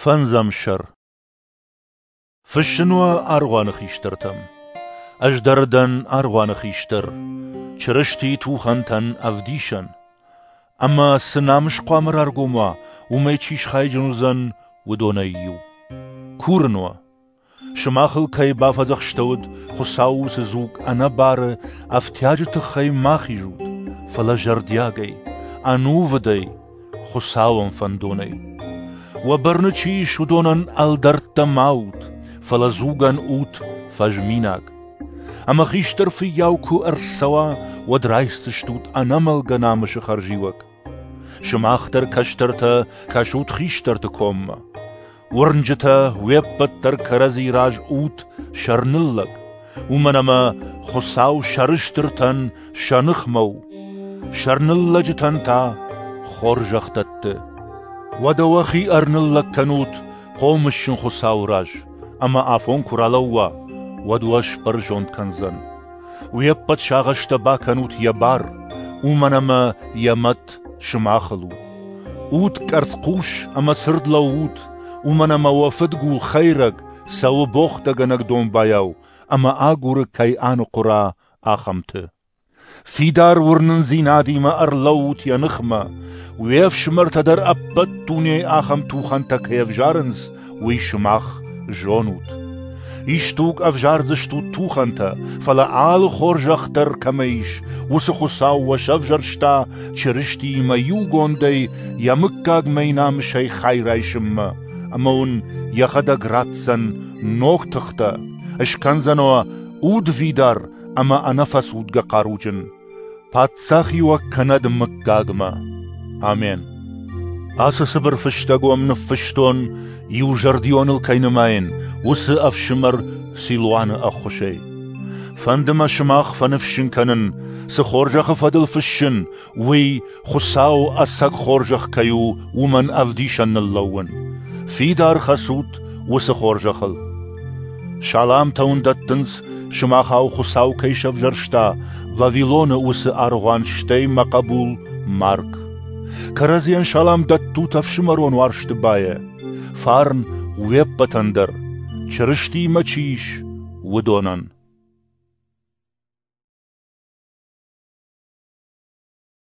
Фӕндзӕм сӕр. Фыссын уӕ аргъуаны хистӕртӕм. Ӕз дӕр дӕн аргъуаны хистӕр, Чырыстийы тухӕнтӕн ӕвдисӕн. Ӕмӕ цы намыс хъуамӕ раргом уа, уымӕй чи схайджын уыдзӕн, уыдонӕй иу. Курын уӕ, сымахыл кӕй бафӕдзӕхстӕуыд, Хуыцауы уыцы дзуг ӕнӕбары ӕфтиаджы тыххӕй ма хизут, фӕлӕ зӕрдиагӕй, ӕнувыдӕй, Хуыцауӕн фӕндонӕй. Уӕ бӕрны чи ис, уыдонӕн ӕлдӕрттӕ ма ут, фӕлӕ дзугӕн ут фӕзминаг. Ӕмӕ хистӕр фыййау куы ӕрцӕуа, уӕд райсдзыстут ӕнӕмӕлгӕ намысы хӕрзиуӕг. Сымах дӕр, кӕстӕртӕ, кӕсут хистӕрты коммӕ. Уырнджытӕ, уе ппӕт дӕр кӕрӕдзи раз ут сӕрныллӕг, уымӕн ӕмӕ Хуыцау сӕрыстыртӕн сӕ ныхмӕ у, сӕрныллӕджытӕн та хорзӕх дӕтты. Уӕдӕ уӕхи ӕрныллӕг кӕнут хъомысджын Хуыцауы раз, ӕмӕ афон куы ралӕууа, уӕд уӕ сбӕрзонд кӕндзӕн. Уе ппӕт сагъӕстӕ бакӕнут йӕ бар, уымӕн ӕмӕ йӕ мӕт сымахыл у. Ут къӕрцхъус ӕмӕ цырд лӕуут, уымӕн ӕмӕ уӕ фыдгул хӕйрӕг цӕуы богътӕгӕнӕг домбайау ӕмӕ агуры, кӕй аныхъуыра, ахӕмты. Фидар уырнындзинадимӕ ӕрлӕуут йӕ ныхмӕ, уе фсымӕртӕ дӕр ӕппӕт дунейы ахӕм тухӕнтӕ кӕй ӕвзарынц, уый сымах зонут. Исдуг ӕвзардзыстут тухӕнтӕ, фӕлӕ алы хорзӕх дӕр кӕмӕ ис, уыцы Хуыцау уӕ сӕвзӕрста Чырыстиимӕ иугондӕй йӕ мыггагмӕ намысӕй хай райсынмӕ, ӕмӕ уын йӕхӕдӕг ратдзӕн ног тыхтӕ, скӕндзӕн уӕ удвидар ӕмӕ ӕнӕфӕцудгӕ хъаруджын. Паддзахиуӕг кӕнӕд мыггагмӕ. Амен. Ацы цыбыр фыстӕг уӕм ныффыстон, иузӕрдионыл кӕй нымайын, уыцы ӕфсымӕр Силуаны ӕххуысӕй. Фӕнды мӕ сымах фӕныфсджын кӕнын, цы хорзӕхы фӕдыл фыссын, уый Хуыцауы ӕцӕг хорзӕх кӕй у, уымӕн ӕвдисӕн ныллӕууын. Фидар хӕцут уыцы хорзӕхыл. Саламтӕ уын дӕттынц, сымахау Хуыцау кӕй сӕвзӕрста, Вавилоны уыцы аргъуан, стӕй мӕ хъӕбул Марк. Кӕрӕдзийӕн салам дӕттут ӕфсымӕрон уарзты байӕ. Фарн уе ппӕтӕн дӕр, Чырыстиимӕ чи ис, уыдонӕн.